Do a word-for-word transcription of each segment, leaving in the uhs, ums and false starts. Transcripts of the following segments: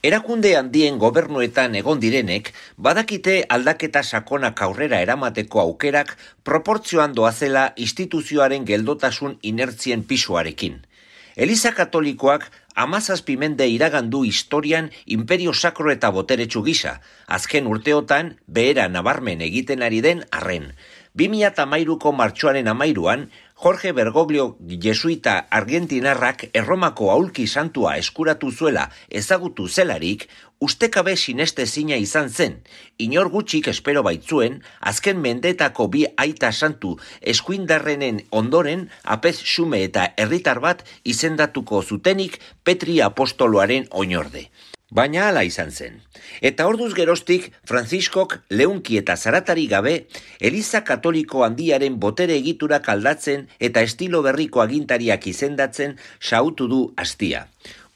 Erakunde handien gobernuetan egon direnek, badakite aldaketa sakonak aurrera eramateko aukerak proportzioan doazela instituzioaren geldotasun inertzien pisuarekin. Eliza Katolikoak hamazazpi mende iragandu historian imperio sakro eta boteretsu gisa, azken urteotan behera nabarmen egiten ari den arren. bi mila hamairuko martxoaren hamairuan, Jorge Bergoglio jesuita argentinarrak Erromako aulki santua eskuratu zuela ezagutu zelarik, ustekabe sinestezina izan zen, inor gutxik espero baitzuen, azken mendetako bi aita santu eskuindarrenen ondoren apez xume eta herritar bat izendatuko zutenik Petri apostoloaren oinorde. Baina hala izan zen. Eta orduz geroztik, Frantziskok leunki eta zaratari gabe, Eliza Katoliko handiaren botere egiturak aldatzen eta estilo berriko agintariak izendatzen xautu du astia.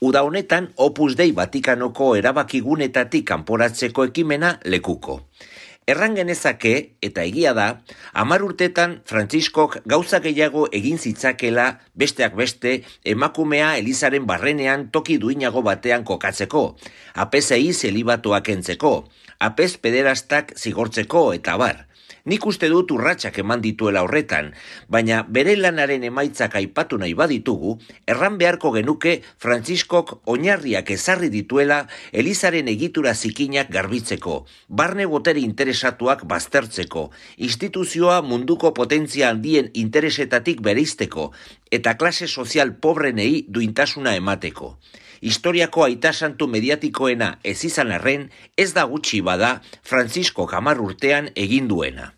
Uda honetan, Opus Dei Vatikanoko erabakigunetatik kanporatzeko ekimena lekuko. Erran genezake, eta egia da, hamar urtetan Frantziskok gauza gehiago egin zitzakela besteak beste emakumea Elizaren barrenean toki duinago batean kokatzeko, apezei zelibatuak entzeko, apez pederastak zigortzeko eta bar. Nik uste dut urratsak eman dituela horretan, baina bere lanaren emaitzak aipatu nahi baditugu, erran beharko genuke Frantziskok oinarriak ezarri dituela Elizaren egitura zikinak garbitzeko, barne botere interesatuak baztertzeko, instituzioa munduko potentzia handien interesetatik bereizteko, eta klase sozial pobrenei duintasuna emateko. Historiako aita santu mediatikoena ez izan arren, ez da gutxi bada Frantziskok hamar urtean egin duena.